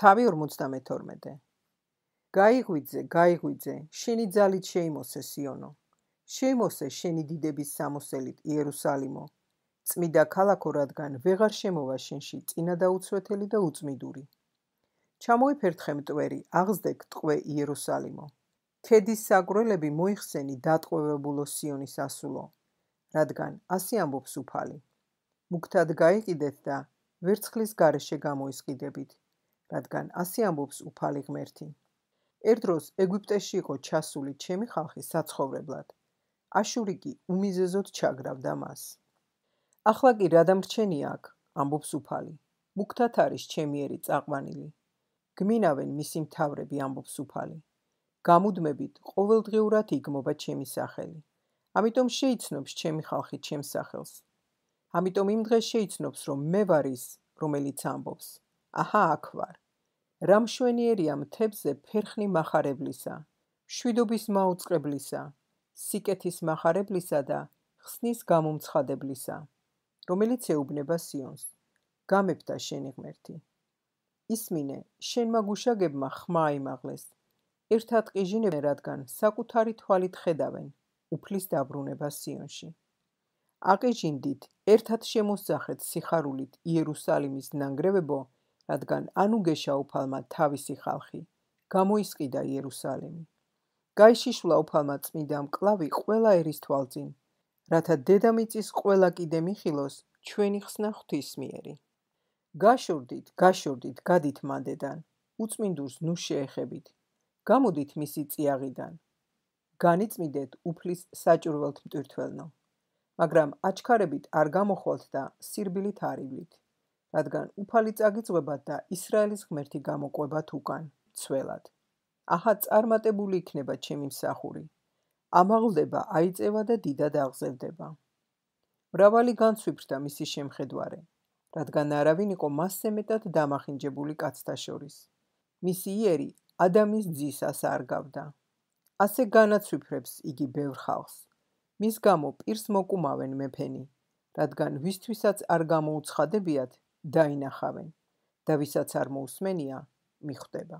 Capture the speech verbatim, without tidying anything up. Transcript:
თავი ორმოცდამეთორმეტე. გაიღვიძე, გაიღვიძე, შენი ძალით შეიმოსე სიონო. შეიმოსე შენი დიდების სამოსელით იერუსალიმო. წმიდა ქალაქო, რადგან ვეღარ შემოვა შენში წინადაუცვეთელი და უწმიდური. ჩამოიფერთხე მტვერი, აღზრდე ტყვე იერუსალიმო. ქედის საგვრელები მოიხსენი დატყვევებულო სიონის ასულო, რადგან ასე ამბობს უფალი. მუქთად გაიყიდეთ და ვერცხლის გარეშე გამოისყიდებით, რადგან ასე ამბობს უფალი ღმერთი. ერთ დროს ეგვიპტეში იყო ჩასული ჩემი ხალხი საცხოვრებლად. აშური კი უმიზეზოდ ჩაგრავდა მას. ახლა კი რა დამრჩენია აქ, ამბობს უფალი. მუქთად არის ჩემიერი წაყვანილი. გმინავენ მისი მთავრები, ამბობს უფალი. გამუდმებით ყოველდღიურად იგმობა ჩემი სახელი. ამიტომ შეიცნობს ჩემი ხალხი ჩემს სახელს. ამიტომ იმ დღეს შეიცნობს, რომ მე ვარ ის, რომელიც ამბობს. აჰა, აქ ვარ. რა მშვენიერია მთებზე ფერხნი მახარებლისა, მშვიდობის მაუწყებლისა, სიკეთის მახარებლისა და ხსნის გამომცხადებლისა, რომელიც ეუბნება სიონს. გამეფდა შენი ღმერთი. ისმინე, შენმა გუშაგებმა ხმა აიმაღლეს. ერთად ყიჟინებენ, რადგან საკუთარი თვალით ხედავენ უფლის დაბრუნება სიონში. აყიჟინდით, ერთად შემოსძახეთ სიხარულით იერუსალიმის ნანგრევებო, რადგან ანუგეშა უფალმა თავისი ხალხი, გამოისყიდა იერუსალიმი. გაიშიშვლა უფალმა წმიდა მკლავი ყველა ერის თვალწინ, რათა დედამიწის ყველა კიდე მიხილოს ჩვენი ხსნა ღვთისმიერი. გაშორდით, გაშორდით, გადით მანდედან, უწმინდურს ნუ შეეხებით. გამოდით მისი წიაღიდან. განიწმიდეთ უფლის საჭურველთ მტვირთველნო. მაგრამ აჩქარებით არ გამოხვალთ და სირბილით არივლით, რადგან უფალი წაგიწვებათ და ისრაელის ღმერთი გამოყვებათ უკან, ცველად. აჰა, წარმატებული იქნება ჩემი მსახური. ამაღლდება, აიწევა და დიდად აღზევდება. მრავალი განცვიფრდა მისი შემხედვარე, რადგან არავინ იყო მასზე მეტად დამახინჯებული კაცთა შორის. მისი იერი ადამის ძისას არ გავდა. ასე განაცვიფრებს იგი ბევრ ხალხს. მის გამო პირს მოკუმავენ მეფენი, რადგან ვისთვისაც არ გამოუცხადებიათ, დაინახავენ და ვისაც არ მოусმენია, მიხვდება.